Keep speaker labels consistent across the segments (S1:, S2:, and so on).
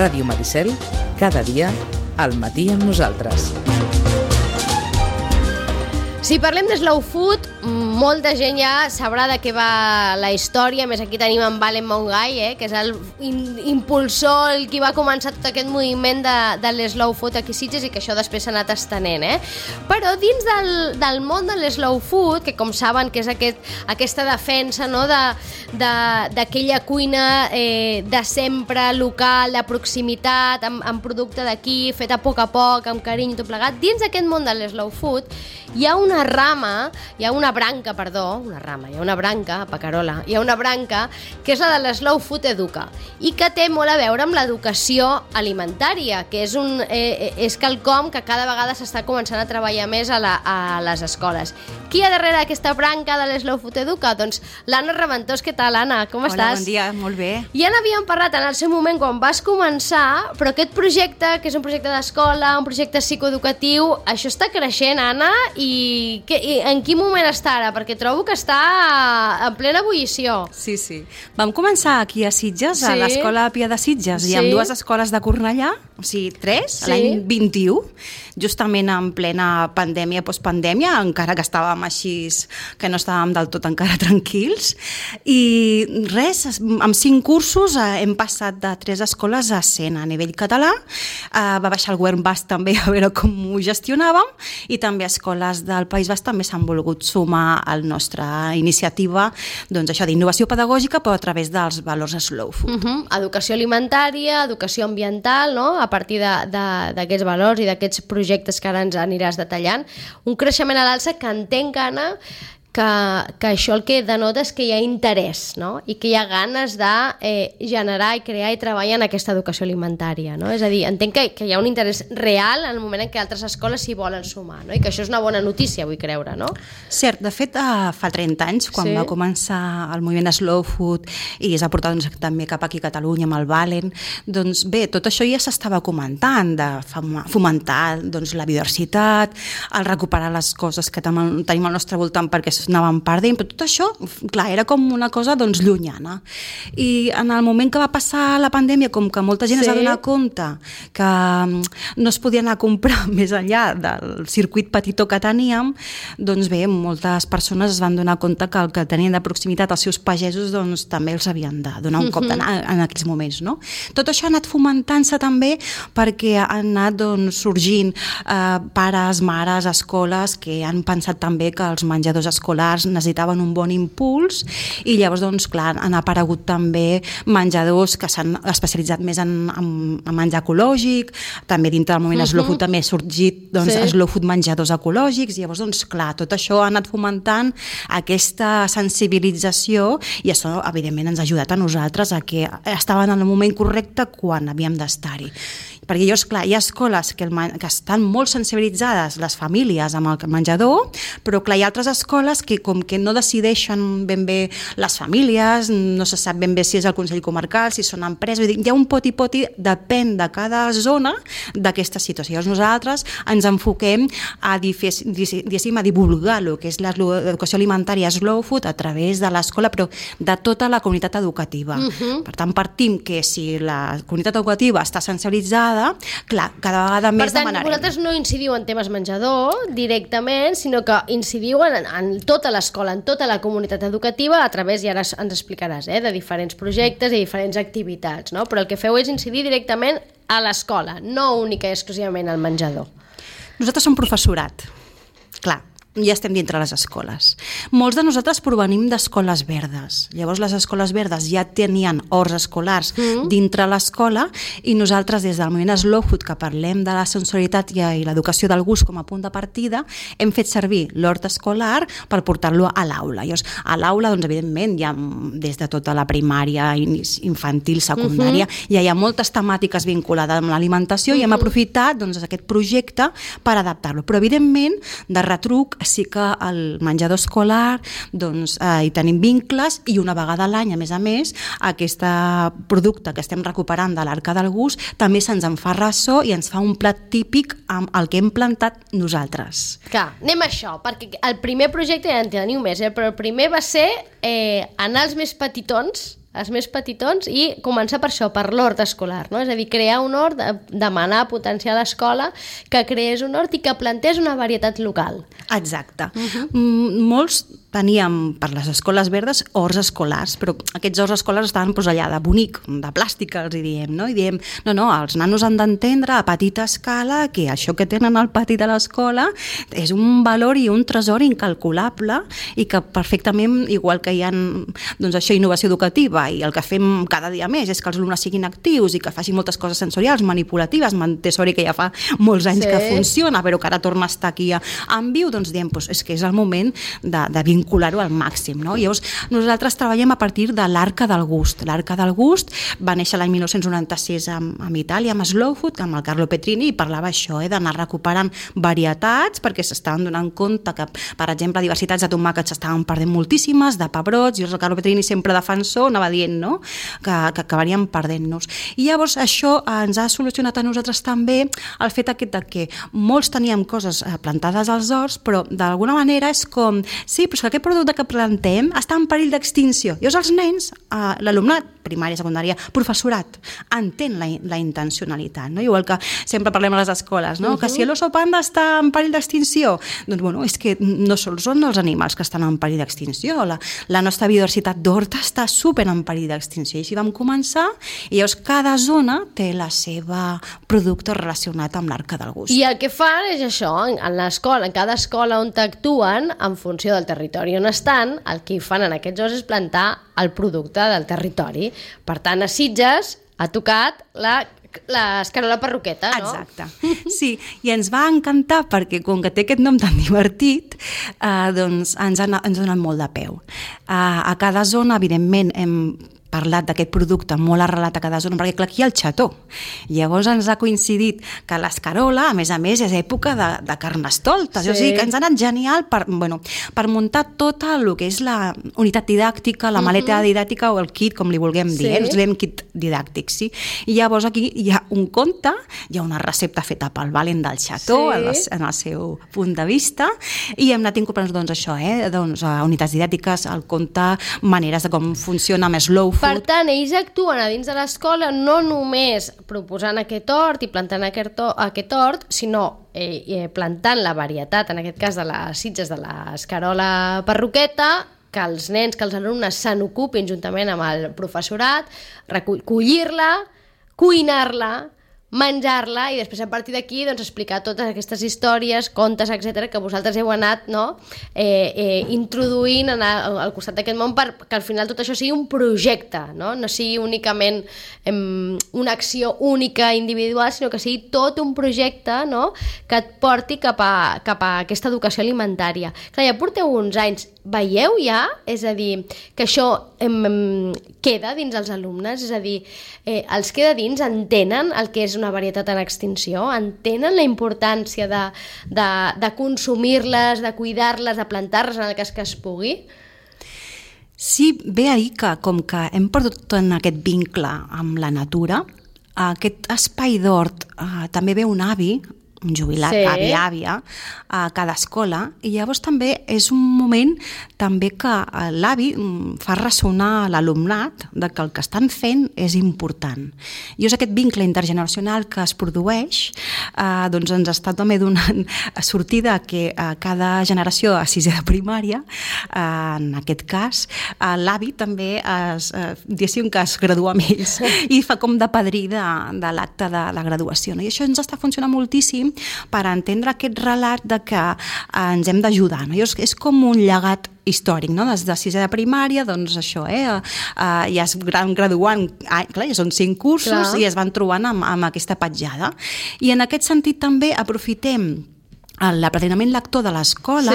S1: Ràdio Maricel, cada dia, al matí amb nosaltres.
S2: Si parlem de slow food, molta gent ja sabrà de què va la història. A més, aquí tenim en Valen Montgai, que és el impulsor, el qui va començar tot aquest moviment de l'slow food aquí a Sitges i que això després s'ha anat estenent. Però dins del món de l'slow food, que com saben que és aquesta defensa, no, d'aquella cuina de sempre, local, de proximitat, amb producte d'aquí, fet a poc, amb carinyo i tot plegat, dins d'aquest món de l'slow food hi ha una branca, Pacarola, hi ha una branca que és la de l'Slow Food Educa i que té molt a veure amb l'educació alimentària, que és quelcom que cada vegada s'està començant a treballar més a les escoles. Qui hi ha darrere d'aquesta branca de l'Slow Food Educa? Doncs l'Anna Raventós. Què tal, Anna? Com estàs?
S3: Hola, bon dia, molt bé.
S2: Ja n'havíem parlat en el seu moment quan vas començar, però aquest projecte, que és un projecte d'escola, un projecte psicoeducatiu, això està creixent, Anna, i en quin moment està ara? Perquè trobo que està en plena ebullició.
S3: Sí. Vam començar aquí a Sitges, a l'Escola Pia de Sitges, i amb dues escoles de Cornellà, o sigui, 3, l'any 21, justament en plena pandèmia, postpandèmia, encara que estàvem així, que no estàvem del tot encara tranquils. I res, amb 5 cursos hem passat de 3 escoles a 100 a nivell català. Va baixar el govern basc també a veure com ho gestionàvem, i també escoles del País Basc també s'han volgut sumar a la nostra iniciativa, doncs això d'innovació pedagògica, però a través dels valors slow food.
S2: Educació alimentària, educació ambiental, no? A partir d'aquests valors i d'aquests projectes que ara ens aniràs detallant. Un creixement a l'alça que entenc, Anna, que això el que denota és que hi ha interès, no? I que hi ha ganes de generar i crear i treballar en aquesta educació alimentària, no? És a dir, entenc que hi ha un interès real en el moment en què altres escoles s'hi volen sumar, no? I que això és una bona notícia, vull creure, no?
S3: Cert, de fet, fa 30 anys, quan va començar el moviment de slow food i es va portar també cap aquí a Catalunya amb el Valen, doncs bé, tot això ja s'estava comentant, de fomentar la biodiversitat, el recuperar les coses que tenim al nostre voltant perquè anàvem perdent, però tot això, clar, era com una cosa llunyana. I en el moment que va passar la pandèmia, com que molta gent es va donar compte que no es podia anar a comprar més enllà del circuit petitó que teníem, doncs bé, moltes persones es van donar compte que el que tenien de proximitat els seus pagesos doncs també els havien de donar un cop en aquells moments, no? Tot això ha anat fomentant-se també perquè han anat sorgint pares, mares, escoles que han pensat també que els menjadors escolars necessitaven un bon impuls i llavors, clar, han aparegut també menjadors que s'han especialitzat més en menjar ecològic, també dintre del moviment slow food també ha sorgit slow food menjadors ecològics, i llavors, clar, tot això ha anat fomentant aquesta sensibilització i això, evidentment, ens ha ajudat a nosaltres a que estaven en el moment correcte quan havíem d'estar-hi. Perquè llavors, clar, hi ha escoles que estan molt sensibilitzades, les famílies, amb el menjador, però clar, hi ha altres escoles que com que no decideixen ben bé les famílies, no se sap ben bé si és el Consell Comarcal, si són empreses, hi ha un poti-poti, depèn de cada zona d'aquesta situació. Llavors nosaltres ens enfoquem a divulgar el que és l'educació alimentària slow food a través de l'escola, però de tota la comunitat educativa. Per tant, partim que si la comunitat educativa està sensibilitzada, clar, cada vegada més demanarem.
S2: Per tant, vosaltres no incidiu en temes menjador directament, sinó que incidiu en tota l'escola, en tota la comunitat educativa, a través, i ara ens explicaràs, de diferents projectes i diferents activitats, no? Però el que feu és incidir directament a l'escola, no única i exclusivament al menjador.
S3: Nosaltres som professorat, clar. Ja estem dintre les escoles. Molts de nosaltres provenim d'escoles verdes. Llavors les escoles verdes ja tenien horts escolars dintre l'escola i nosaltres des del moviment Slow Food, que parlem de la sensorialitat i l'educació del gust com a punt de partida, hem fet servir l'hort escolar per portar-lo a l'aula. Llavors a l'aula, doncs, evidentment, ja des de tota la primària, infantil, secundària, ja hi ha moltes temàtiques vinculades amb l'alimentació i hem aprofitat aquest projecte per adaptar-lo. Però evidentment, de retruc, sí que el menjador escolar hi tenim vincles i una vegada a l'any, a més, aquest producte que estem recuperant de l'Arca del Gust també se'ns en fa ressò i ens fa un plat típic amb el que hem plantat nosaltres.
S2: Clar, anem a això, perquè el primer projecte ja en teniu més, però el primer va ser anar als més petitons els més petitons, i començar per això, per l'hort escolar, no? És a dir, crear un hort, demanar, potenciar a l'escola que creés un hort i que plantés una varietat local.
S3: Exacte. Molts teníem per les escoles verdes horts escolars, però aquests horts escolars estaven allà de bonic, de plàstic, els hi diem, no? I diem, no, els nanos han d'entendre a petita escala que això que tenen al pati de l'escola és un valor i un tresor incalculable i que perfectament, igual que hi ha doncs això, innovació educativa, i el que fem cada dia més és que els alumnes siguin actius i que facin moltes coses sensorials, manipulatives, Montessori, que ja fa molts anys que funciona, però que ara torna a estar aquí en viu, doncs diem, és que és el moment de vincular-ho al màxim, no? Llavors, nosaltres treballem a partir de l'Arca del Gust. L'Arca del Gust va néixer l'any 1996 en Itàlia, amb Slow Food, amb el Carlo Petrini, i parlava això, d'anar recuperant varietats, perquè s'estaven donant compte que, per exemple, diversitats de tomàquets s'estaven perdent moltíssimes, de pebrots, i el Carlo Petrini, sempre defensor, anava dient, no?, que acabaríem perdent-nos. I llavors això ens ha solucionat a nosaltres també el fet aquest de que molts teníem coses plantades als horts, però d'alguna manera és com, sí, però és que aquest producte que plantem està en perill d'extinció. Llavors els nens, l'alumnat, primària, secundària, professorat, entén la intencionalitat, no? Igual que sempre parlem a les escoles, no? Que si l'oso panda està en perill d'extinció, doncs bueno, és que no sols són els animals que estan en perill d'extinció, la nostra biodiversitat d'horta està super en perill d'extinció, i així vam començar, i llavors cada zona té la seva producte relacionat amb l'Arca del Gust.
S2: I el que fan és això, en l'escola, en cada escola on t'actuen, en funció del territori on estan, el que fan en aquests horts és plantar el producte del territori. Per tant, a Sitges ha tocat l'escarola perruqueta, no?
S3: Exacte. Sí, i ens va encantar perquè com que té aquest nom tan divertit, doncs ens ha donat molt de peu. A cada zona, evidentment, hem parlat d'aquest producte molt arrelat a cada zona, perquè clar, aquí hi ha el xató. Llavors ens ha coincidit que l'escarola, a més, és època de carnestoltes. Sí. O sigui que ens ha anat genial per muntar tot el que és la unitat didàctica, la maleta didàctica o el kit, com li vulguem dir. Ens diem kit didàctic, sí. I llavors aquí hi ha un conte, hi ha una recepta feta pel Valen del xató, en el seu punt de vista, i hem anat incorporant doncs això, unitats didàctiques, el conte, maneres de com funciona amb Slow Food.
S2: Per tant, ells actuen a dins de l'escola no només proposant aquest hort i plantant aquest hort, sinó plantant la varietat, en aquest cas de les Sitges, de l'escarola perruqueta, que els nens, que els alumnes se n'ocupin juntament amb el professorat, collir-la, cuinar-la, menjar-la i després a partir d'aquí explicar totes aquestes històries, contes, etc que vosaltres heu anat introduint al costat d'aquest món perquè al final tot això sigui un projecte, no sigui únicament una acció única individual, sinó que sigui tot un projecte que et porti cap a aquesta educació alimentària. Clar, ja porteu uns anys, veieu ja? És a dir, que això queda dins els alumnes, és a dir, els queda dins, entenen el que és una varietat en extinció, entenen la importància de consumir-les, de cuidar-les, de plantar-les en el cas que es pugui?
S3: Sí, ve a dir que com que hem perdut en aquest vincle amb la natura, aquest espai d'hort també ve un avi, un jubilat, avi-àvia, a cada escola, i llavors també és un moment també que l'avi fa ressonar l'alumnat de que el que estan fent és important. I és aquest vincle intergeneracional que es produeix, doncs ens està també donant sortida que cada generació a sisè de primària, en aquest cas, l'avi també diguéssim que es gradua amb ells i fa com de padrí de l'acte de la graduació. I això ens està funcionant moltíssim per entendre aquest relat de que ens hem d'ajudar. És com un llegat històric, des de sisè de primària, doncs això, ja es van graduant, clar, ja són 5 cursos i es van trobant amb aquesta petjada. I en aquest sentit també aprofitem l'aprenenament lector de l'escola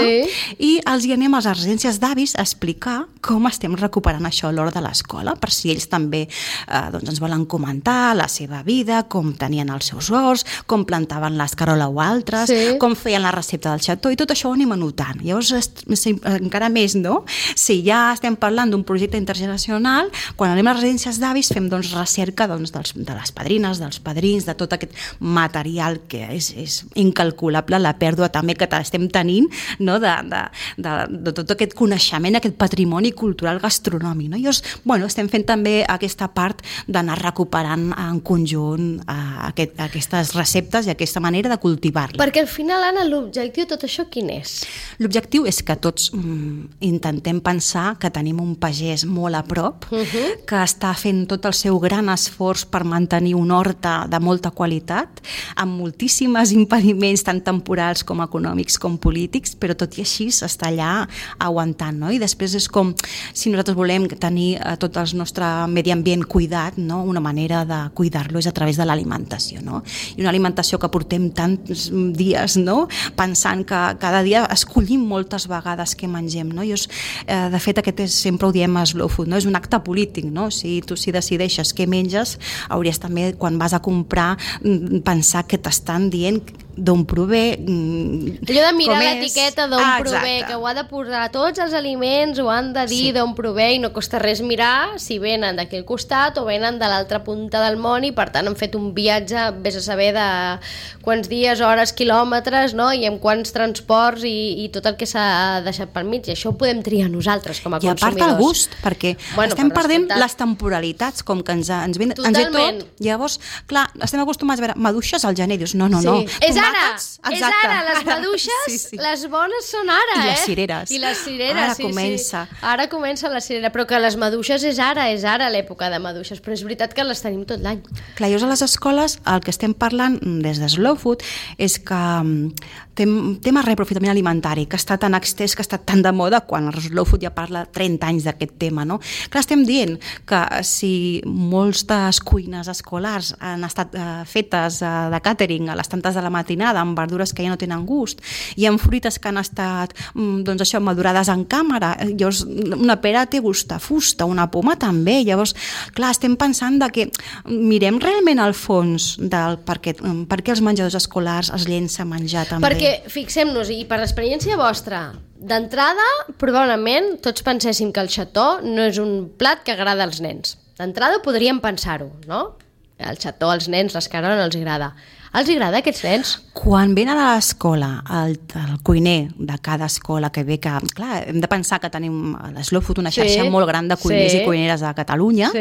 S3: i els hi anem a les residències d'avis a explicar com estem recuperant això a l'hora de l'escola, per si ells també ens volen comentar la seva vida, com tenien els seus horts, com plantaven l'escarola o altres, com feien la recepta del xató, i tot això ho anem anotant. Llavors, encara més, no? Si ja estem parlant d'un projecte intergeneracional, quan anem a les residències d'avis fem recerca de les padrines, dels padrins, de tot aquest material que és incalculable, la pèrdua pèrdua també que estem tenint, no? de tot aquest coneixement, aquest patrimoni cultural gastronòmic. No? I estem fent també aquesta part d'anar recuperant en conjunt aquestes receptes i aquesta manera de cultivar-les.
S2: Perquè al final, Anna, l'objectiu de tot això quin és?
S3: L'objectiu és que tots intentem pensar que tenim un pagès molt a prop, que està fent tot el seu gran esforç per mantenir una horta de molta qualitat, amb moltíssims impediments tant temporals com econòmics com polítics, però tot i així està allà aguantant, no? I després és com si nosaltres volem tenir tot el nostre medi ambient cuidat, no? Una manera de cuidar-lo és a través de l'alimentació, no? I una alimentació que portem tants dies, no? Pensant que cada dia escollim moltes vegades què mengem, no? De fet, aquest sempre ho diem a Slow Food, no? És un acte polític, no? Si tu decideixes què menges, hauries també, quan vas a comprar, pensar que t'estan dient d'on prové,
S2: allò de mirar l'etiqueta d'on prové, que ho ha de posar tots els aliments, ho han de dir d'on prové, i no costa res mirar si venen d'aquí al costat o venen de l'altra punta del món, i per tant han fet un viatge, vés a saber de quants dies, hores, quilòmetres, no? I amb quants transports i tot el que s'ha deixat pel mig, i això ho podem triar nosaltres com a consumidors.
S3: I a part el gust, perquè estem perdent les temporalitats, com que ens ve tot. Llavors, clar, estem acostumats a veure maduixes al gener, dius, no.
S2: És ara, les maduixes, les bones són ara,
S3: I les cireres.
S2: I les cireres,
S3: ara comença.
S2: Ara comença la cirera, però que les maduixes és ara l'època de maduixes, però és veritat que les tenim tot l'any.
S3: Clar, a les escoles el que estem parlant des de Slow Food és que tema reaprofitament alimentari, que està tan extès, que està tan de moda, quan el Slow Food ja parla 30 anys d'aquest tema, no? Clar, estem dient que si moltes cuines escolars han estat fetes de càtering a les tantes de la matinada, amb verdures que ja no tenen gust, i amb fruites que han estat madurades en càmera, llavors una pera té gust a fusta, una poma també, llavors, clar, estem pensant que mirem realment al fons del per què els menjadors escolars es llença a menjar també.
S2: Perquè, fixem-nos, i per l'experiència vostra, d'entrada, probablement tots penséssim que el xató no és un plat que agrada als nens. D'entrada podríem pensar-ho, no? El xató als nens, l'escarola, no els agrada. Els agrada a aquests nens?
S3: Quan venen a l'escola, el cuiner de cada escola que ve, que clar, hem de pensar que tenim a l'Slow Food una xarxa molt gran de cuiners i cuineres de Catalunya,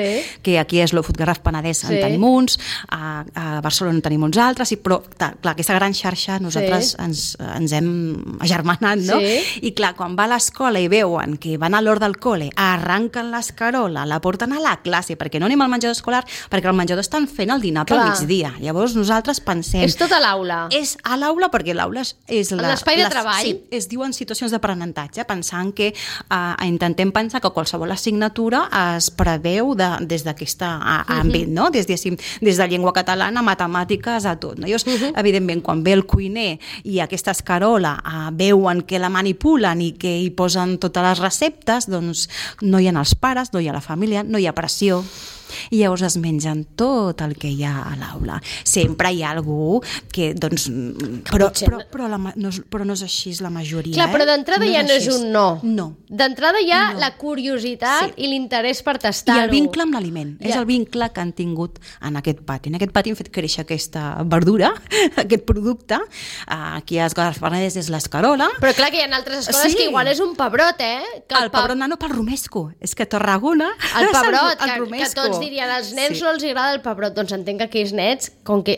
S3: que aquí a Slow Food Garraf Penedès en tenim uns, a Barcelona en tenim uns altres, però clar, aquesta gran xarxa nosaltres ens hem agermanat, no? I clar, quan va a l'escola i veuen que van a l'hora del col·le, arranquen l'escarola, la porten a la classe, perquè no anem al menjador escolar, perquè al menjador estan fent el dinar pel migdia. Llavors nosaltres pensem...
S2: És tot a l'aula.
S3: És a l'aula perquè l'aula és
S2: l'espai de treball.
S3: Sí, es diuen situacions d'aprenentatge, pensant que intentem pensar que qualsevol assignatura es preveu des d'aquest àmbit, no? Des de llengua catalana, matemàtiques, a tot. No? Evidentment, quan ve el cuiner i aquesta escarola veuen que la manipulen i que hi posen totes les receptes, doncs no hi ha els pares, no hi ha la família, no hi ha pressió. I llavors es mengen tot el que hi ha a l'aula. Sempre hi ha algú que, doncs... Però no és així la majoria.
S2: Clar, però d'entrada ja no és un no.
S3: No.
S2: D'entrada hi ha la curiositat i l'interès per tastar-ho.
S3: I el vincle amb l'aliment. És el vincle que han tingut en aquest pati. En aquest pati hem fet créixer aquesta verdura, aquest producte. Aquí a Garraf Penedès és l'escarola.
S2: Però clar que hi ha altres escoles que igual és un pebrot,
S3: El pebrot nano pel romesco. És que a Tarragona...
S2: El pebrot, que tots dirien, als nens no els agrada el pebrot, doncs entenc que aquells nens,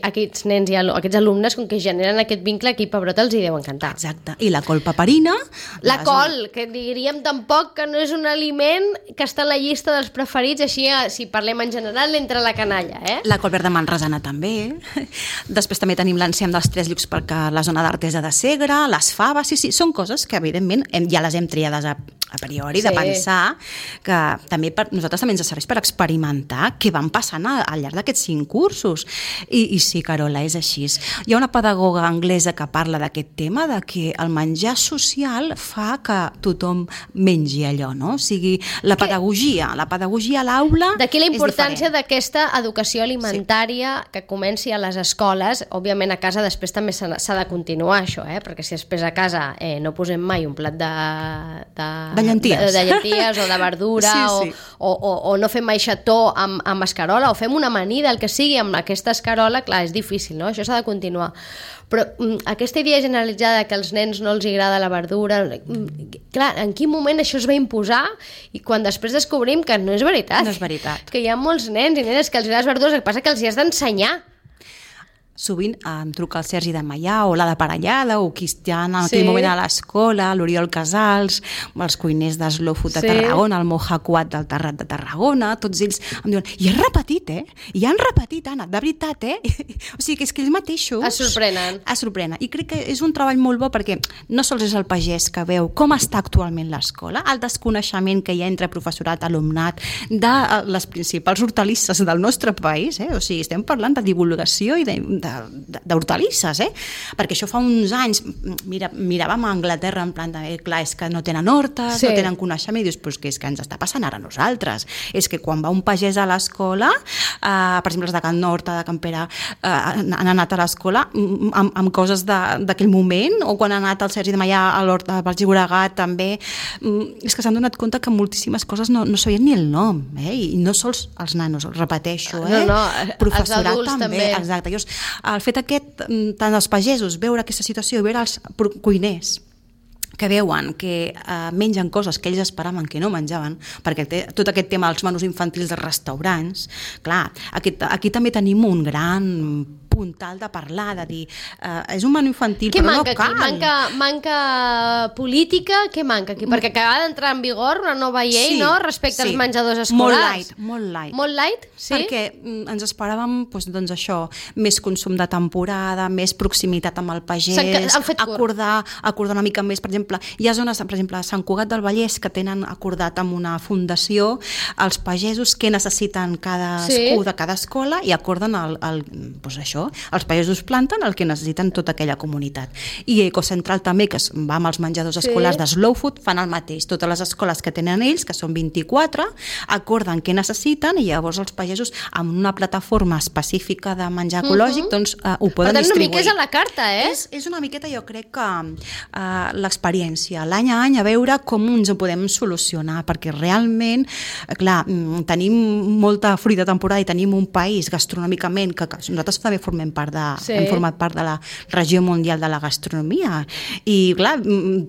S2: aquests nens i aquests alumnes, com que generen aquest vincle, aquí pebrot els hi deu encantar.
S3: Exacte. I la col paperina...
S2: La col, que diríem tampoc que no és un aliment que està a la llista dels preferits, així, si parlem en general, entre la canalla,
S3: La col verda manresana també. Després també tenim l'enciam dels 3 llocs per la zona d'Artesa de Segre, les faves, sí, són coses que evidentment ja les hem triades a priori, de pensar que també nosaltres també ens serveix per experimentar què van passant al llarg d'aquests 5 cursos. I sí, Carola, és així. Hi ha una pedagoga anglesa que parla d'aquest tema, de que el menjar social fa que tothom mengi allò, no? O sigui, la pedagogia a l'aula és
S2: d'aquí la importància d'aquesta educació alimentària que comenci a les escoles. Òbviament a casa després també s'ha de continuar això, perquè si després a casa no posem mai un plat de
S3: llenties.
S2: De llenties o de verdura,
S3: sí.
S2: o no fem aixató amb escarola, o fem una amanida, el que sigui, amb aquesta escarola, clar, és difícil, no? Això s'ha de continuar. Però aquesta idea generalitzada que als nens no els agrada la verdura, clar, en quin moment això es va imposar i quan després descobrim que no és veritat.
S3: No és veritat.
S2: Que hi ha molts nens i nenes que els agrada les verdures, el que passa que els hi has d'ensenyar.
S3: Sovint em truca el Sergi de Maià o la de Parellada o qui està en aquell moment a l'escola, l'Oriol Casals, els cuiners de Slow Food de Tarragona, el Moja Quat del Terrat de Tarragona, tots ells em diuen, i has repetit, I han repetit, Anna, de veritat, O sigui, que és que ells mateixos...
S2: Es sorprenen.
S3: Es sorprenen. I crec que és un treball molt bo perquè no sols és el pagès que veu com està actualment l'escola, el desconeixement que hi ha entre professorat, alumnat, de les principals hortalisses del nostre país, O sigui, estem parlant de divulgació i d'hortalisses, perquè això fa uns anys miràvem a Anglaterra en plan de, clar, és que no tenen hortes, no tenen coneixement, i dius, però és que ens està passant ara a nosaltres, és que quan va un pagès a l'escola, per exemple els de Can Horta, de Can Pere, han anat a l'escola amb coses d'aquell moment, o quan ha anat el Sergi de Maià a l'Horta del Llobregat també, és que s'han donat compte que moltíssimes coses no sabien ni el nom, i no sols els nanos, repeteixo, professorat
S2: els adults també.
S3: Exacte. Llavors, el fet aquest, tant els pagesos, veure aquesta situació i veure els cuiners que veuen que mengen coses que ells esperaven que no menjaven, perquè tot aquest tema dels menús infantils dels restaurants, clar, aquí també tenim un gran puntal de parlar, de dir és un menú infantil, però no cal.
S2: Manca política, què manca aquí? Perquè acaba d'entrar en vigor una nova llei, no?, respecte als menjadors escolars.
S3: Molt light.
S2: Molt light, sí?
S3: Perquè ens esperàvem, doncs això, més consum de temporada, més proximitat amb el pagès, acordar una mica més, per exemple, hi ha zones, per exemple, a Sant Cugat del Vallès, que tenen acordat amb una fundació els pagesos què necessiten cadascú de cada escola i acorden doncs això, els pagesos planten el que necessiten tota aquella comunitat. I Ecocentral també, que va amb els menjadors escolars de Slow Food, fan el mateix. Totes les escoles que tenen ells, que són 24, acorden què necessiten i llavors els pagesos, amb una plataforma específica de menjar ecològic, doncs ho poden distribuir. Per tant,
S2: una mica és a la carta,
S3: És una miqueta, jo crec que l'experiència, l'any a any, a veure com ens ho podem solucionar, perquè realment, clar, tenim molta fruita de temporada i tenim un país gastronòmicament que nosaltres també hem format part de la regió mundial de la gastronomia i clar,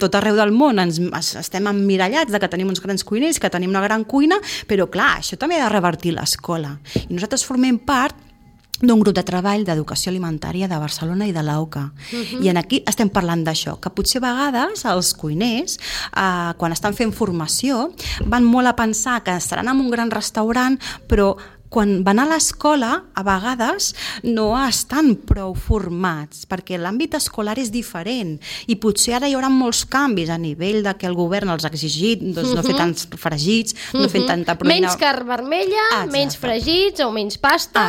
S3: tot arreu del món estem emmirallats de que tenim uns grans cuiners, que tenim una gran cuina, però clar, això també ha de revertir l'escola i nosaltres formem part d'un grup de treball d'educació alimentària de Barcelona i de l'AOCA. I aquí estem parlant d'això, que potser a vegades els cuiners, quan estan fent formació, van molt a pensar que estaran en un gran restaurant, però quan van a l'escola, a vegades no estan prou formats, perquè l'àmbit escolar és diferent i potser ara hi haurà molts canvis a nivell de que el govern els ha exigit no fer tants fregits, no fer tanta proteïna.
S2: Menys carn vermella, menys fregits o menys pasta,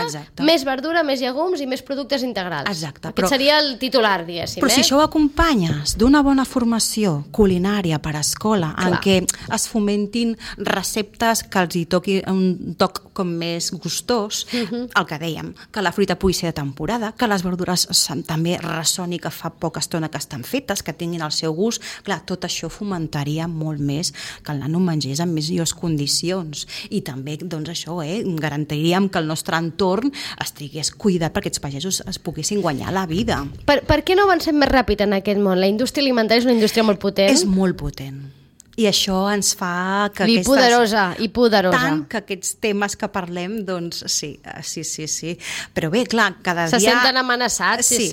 S2: més verdura, més llegums i més productes integrals.
S3: Exacte.
S2: Aquest seria el titular, diguéssim.
S3: Però si això ho acompanyes d'una bona formació culinària per a escola, en què es fomentin receptes que els hi toqui un toc com més gustós, el que dèiem, que la fruita pugui ser de temporada, que les verdures també ressoni que fa poca estona que estan fetes, que tinguin el seu gust, clar, tot això fomentaria molt més que el nano mengés en millors condicions i també, doncs això, garantiríem que el nostre entorn estigués cuidat perquè aquests pagesos es poguessin guanyar la vida.
S2: Per què no avancem més ràpid en aquest món? La indústria alimentària és una indústria molt potent.
S3: És molt potent. I això ens fa que
S2: I poderosa.
S3: Tant que aquests temes que parlem, doncs sí. Però bé, clar, cada dia...
S2: Se senten amenaçats, sí.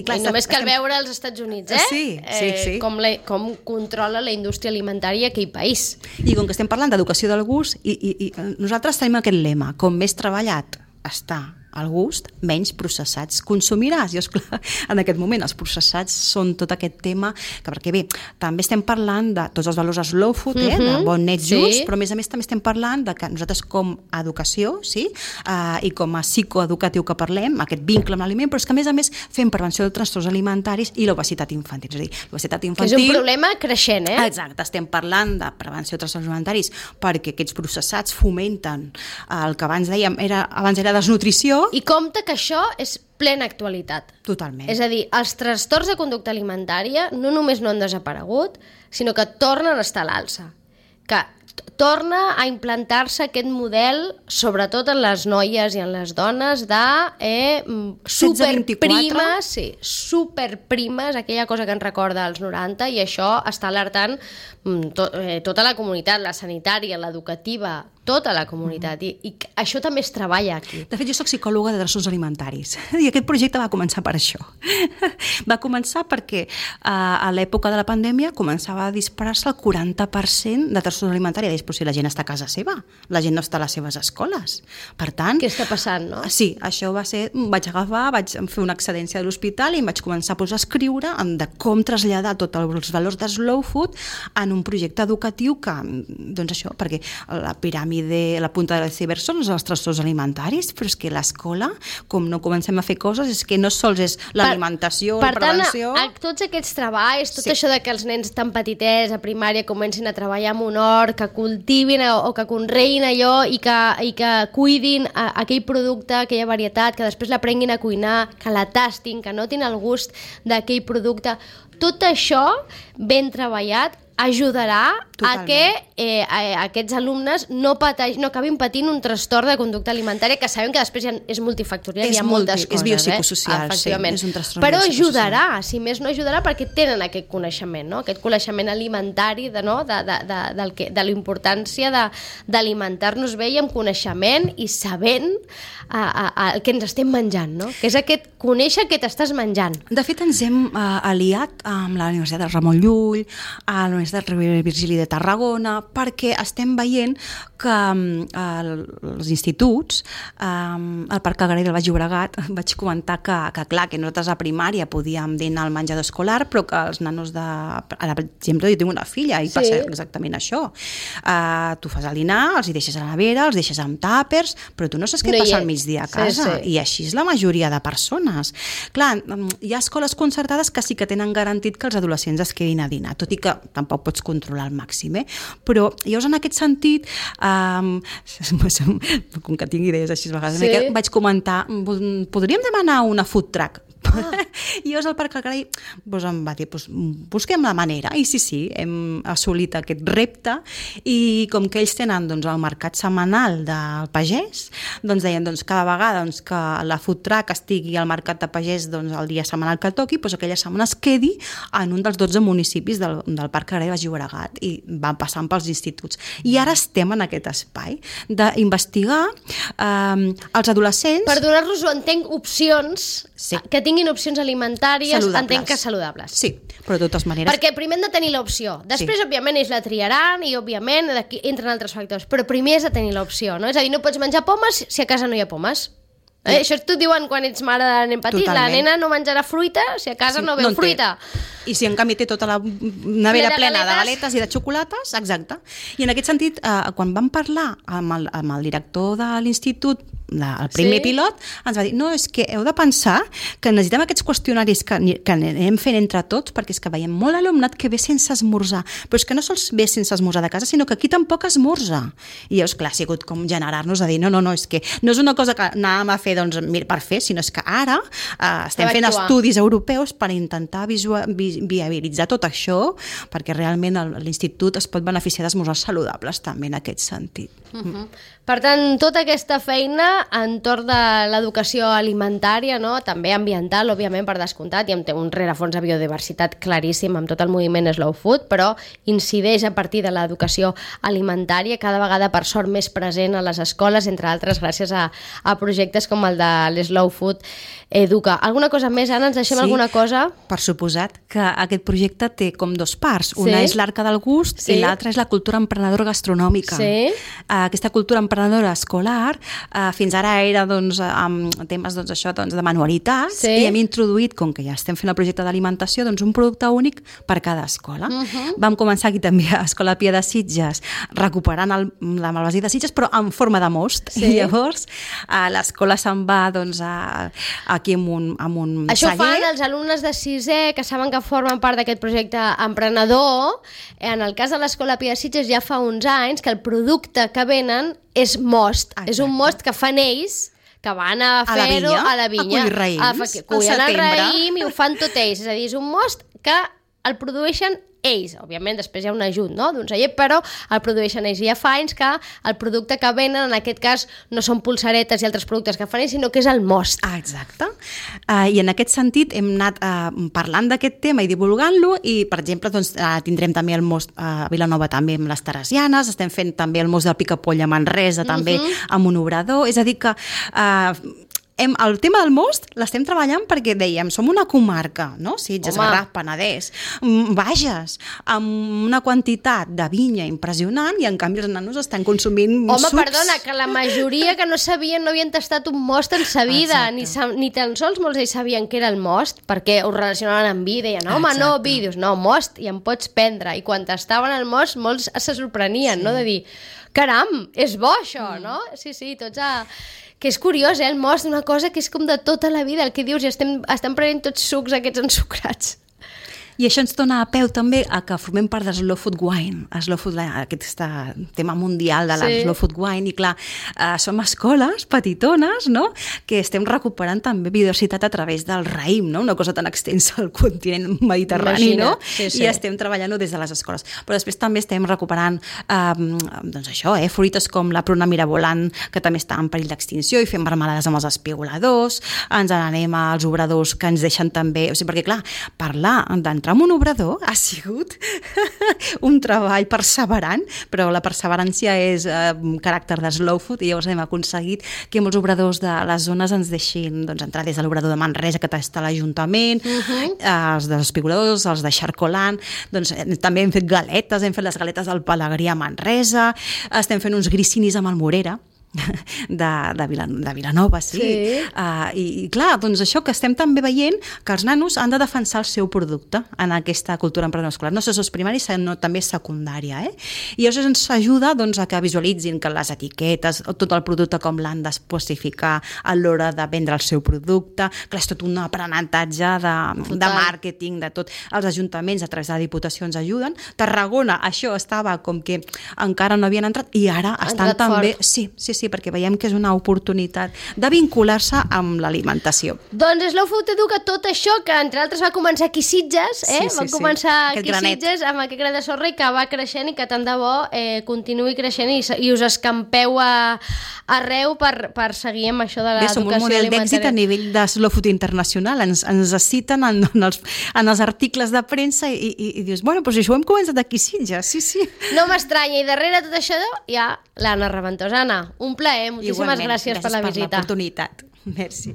S3: Clar,
S2: i només cal veure als Estats Units,
S3: Sí.
S2: Com controla la indústria alimentària aquell país.
S3: I com que estem parlant d'educació del gust, i nosaltres tenim aquest lema, com més treballat està el gust, menys processats consumiràs. I esclar, en aquest moment els processats són tot aquest tema, que perquè bé, també estem parlant de tots els valors slow food, de bon net just, però a més també estem parlant de que nosaltres com a educació, i com a psicoeducatiu que parlem, aquest vincle amb l'aliment, però és que a més fem prevenció de trastorns alimentaris i l'obesitat infantil. És a dir, l'obesitat infantil...
S2: Que és un problema creixent,
S3: Exacte, estem parlant de prevenció de trastorns alimentaris perquè aquests processats fomenten el que abans dèiem, abans era desnutrició, això...
S2: I compte que això és plena actualitat.
S3: Totalment.
S2: És a dir, els trastorns de conducta alimentària no només no han desaparegut, sinó que tornen a estar a l'alça. Que torna a implantar-se aquest model, sobretot en les noies i en les dones, de superprimes, superprimes, aquella cosa que ens recorda als 90, i això està alertant tota la comunitat, la sanitària, l'educativa, tota la comunitat, i això també es treballa aquí.
S3: De fet, jo soc psicòloga de trastorns alimentaris i aquest projecte va començar per això. Va començar perquè a l'època de la pandèmia començava a disparar-se el 40% de trastorns alimentaris. Però si la gent està a casa seva, la gent no està a les seves escoles. Per tant...
S2: Què està passant, no?
S3: Sí, això va ser... Vaig fer una excedència de l'hospital i em vaig començar a posar a escriure de com traslladar tots els valors de slow food en un projecte educatiu que, doncs això, perquè la piràmide, la punta de l'iceberg són els trastorns alimentaris, però és que l'escola, com no comencem a fer coses, és que no sols és l'alimentació, la prevenció...
S2: Per tant, tots aquests treballs, tot això de que els nens tan petitets a primària comencin a treballar en un hort, que cultivin o que conreïn allò i que cuidin aquell producte, aquella varietat, que després l'aprenguin a cuinar, que la tastin, que notin el gust d'aquell producte. Tot això ben treballat ajudarà a que aquests alumnes no acabin patint un trastorn de conducta alimentària, que sabem que després és multifactorial, hi ha moltes coses.
S3: És biopsicosocial,
S2: efectivament.
S3: És un trastorn
S2: però
S3: biopsicosocial.
S2: ajudarà, si més no ajudarà, perquè tenen aquest coneixement, no? Aquest coneixement alimentari de la importància d'alimentar-nos bé i amb coneixement i sabent el que ens estem menjant, no? Que és conèixer què t'estàs menjant.
S3: De fet, ens hem aliat amb la Universitat de Ramon Llull, a la Universitat Rovira i Virgili de Tarragona, perquè estem veient que els instituts, al Parc Agrari del Baix Llobregat, vaig comentar que clar, que nosaltres a primària podíem dinar al menjador escolar, però que els nanos ara, per exemple, jo tinc una filla i passa exactament això. Tu fas el dinar, els hi deixes a la nevera, els deixes amb tàpers, però tu no saps què passa al migdia a casa. I així és la majoria de persones. Clar, hi ha escoles concertades que sí que tenen garantit que els adolescents es quedin a dinar, tot i que tampoc pots controlar al màxim, però llavors en aquest sentit, com que tinc idees així a vegades, vaig comentar, podríem demanar una food truck? I llavors el Parc Agrari em va dir, busquem la manera, i sí, hem assolit aquest repte, i com que ells tenen el mercat setmanal del pagès, deien cada vegada que la food truck estigui al mercat de pagès el dia setmanal que toqui, aquella setmana es quedi en un dels 12 municipis del Parc Agrari de Baix Llobregat, i van passant pels instituts. I ara estem en aquest espai d'investigar els adolescents...
S2: Per donar-los, entenc, opcions que tinguin opcions alimentàries, entenc que saludables.
S3: Sí, però de totes maneres...
S2: Perquè primer hem de tenir l'opció. Després, òbviament, ells la triaran i, òbviament, entren altres factors. Però primer has de tenir l'opció, no? És a dir, no pots menjar pomes si a casa no hi ha pomes. Això t'ho diuen quan ets mare de nen petit. La nena no menjarà fruita si a casa no veu fruita.
S3: I si en canvi té tota la nevera plena de galetes i de xocolates, exacte. I en aquest sentit, quan vam parlar amb el director de l'institut, el primer pilot, ens va dir, no, és que heu de pensar que necessitem aquests qüestionaris que anem fent entre tots, perquè és que veiem molt alumnat que ve sense esmorzar, però és que no sols ve sense esmorzar de casa, sinó que aquí tampoc esmorza. I llavors, clar, ha sigut com generar-nos a dir, no, és que no és una cosa que anàvem a fer per fer, sinó és que ara estem fent estudis europeus per intentar viabilitzar tot això, perquè realment l'institut es pot beneficiar d'esmorzars saludables també en aquest sentit.
S2: Per tant, tota aquesta feina entorn de l'educació alimentària, també ambiental, òbviament, per descomptat, i té un rerefons de biodiversitat claríssim amb tot el moviment Slow Food, però incideix a partir de l'educació alimentària, cada vegada per sort més present a les escoles, entre altres gràcies a projectes com el de l'Slow Food Educa. Alguna cosa més, Anna? Ens deixem alguna cosa?
S3: Per suposat que aquest projecte té com dos parts. Una és l'Arca del Gust i l'altra és la cultura emprenedora gastronòmica. Aquesta cultura emprenedora escolar fins ara era amb temes de manualitats, i hem introduït, com que ja estem fent el projecte d'alimentació, un producte únic per cada escola. Vam començar aquí també a Escola Pia de Sitges, recuperant la Malvasí de Sitges, però en forma de most. I llavors l'escola se'n va aquí amb un
S2: Això fan els alumnes de 6è que saben que formen part d'aquest projecte emprenedor. En el cas de l'Escola Pia de Sitges ja fa uns anys que el producte que venen és most. És un most que fan ells, que van a fer-ho a la vinya.
S3: A collir raïms,
S2: cullen el raïm i ho fan tot ells. És a dir, és un most que el produeixen ells. Òbviament, després hi ha un ajut, no?, d'un celler, però el produeixen ells. I ja fa anys que el producte que venen, en aquest cas, no són polseretes i altres productes que fan ells, sinó que és el most.
S3: Exacte. I en aquest sentit hem anat parlant d'aquest tema i divulgant-lo i, per exemple, doncs, tindrem també el most a Vilanova també amb les teresianes, estem fent també el most del Picapoll a Manresa també amb un obrador, és a dir que el tema del most l'estem treballant perquè dèiem, som una comarca, no? Sitges, Garraf, Penedès, Bages, amb una quantitat de vinya impressionant i en canvi els nanos estan consumint sucs.
S2: Perdona, que la majoria que no sabien, no havien tastat un most en sa vida, ni tan sols molts ells sabien què era el most, perquè ho relacionaven amb vi, deien, home, no, vi, dius, no, most, i en pots prendre, i quan tastaven el most, molts se sorprenien, no?, de dir, caram, és bo això, no? Sí, tots que és curiós, el most, una cosa que és com de tota la vida, el que dius, i estem prenent tots sucs aquests ensucrats.
S3: I això ens dona a peu també a que formem part de Slow Food Wine, aquest tema mundial de la Slow Food Wine, i clar, som escoles petitones, no?, que estem recuperant també biodiversitat a través del raïm, no?, una cosa tan extensa al continent mediterrani, no?, i estem treballant-ho des de les escoles. Però després també estem recuperant, doncs això, fruites com la pruna mirabolant, que també està en perill d'extinció, i fem marmelades amb els espigoladors, ens n'anem als obradors que ens deixen també, o sigui, perquè clar, parlar d'entrar en un obrador ha sigut un treball perseverant, però la perseverància és caràcter de slow food i llavors hem aconseguit que molts obradors de les zones ens deixin entrar des de l'obrador de Manresa que està a l'Ajuntament, els dels espigoladors, els de Xarcolant, doncs també hem fet galetes, hem fet les galetes del Pelegrí a Manresa, estem fent uns gricinis amb el Morera, de Vilanova, sí. I clar, doncs això que estem també veient que els nanos han de defensar el seu producte en aquesta cultura emprenedora escolar, no sols primària, sinó també secundària, i això ens ajuda a que visualitzin que les etiquetes, tot el producte com l'han d'especificar a l'hora de vendre el seu producte, clar, és tot un aprenentatge de màrqueting, de tot. Els ajuntaments a través de Diputacions ajuden. Tarragona, això estava com que encara no havien entrat i ara estan també... Sí, perquè veiem que és una oportunitat de vincular-se amb l'alimentació.
S2: Doncs Slow Food educa tot això que, entre altres, va començar aquí a Sitges, va començar aquí a Sitges amb aquest gra de sorra i que va creixent i que tant de bo continuï creixent i us escampeu arreu per seguir amb això de l'educació alimentària. Som un model d'èxit a nivell
S3: de Slow Food internacional, ens citen en els articles de premsa i dius, bueno, doncs això ho hem començat aquí a Sitges, sí.
S2: No m'estranya, i darrere tot això hi ha l'Anna Raventós. Anna, un plaer, moltíssimes gràcies per la visita.
S3: Per l'oportunitat. Merci.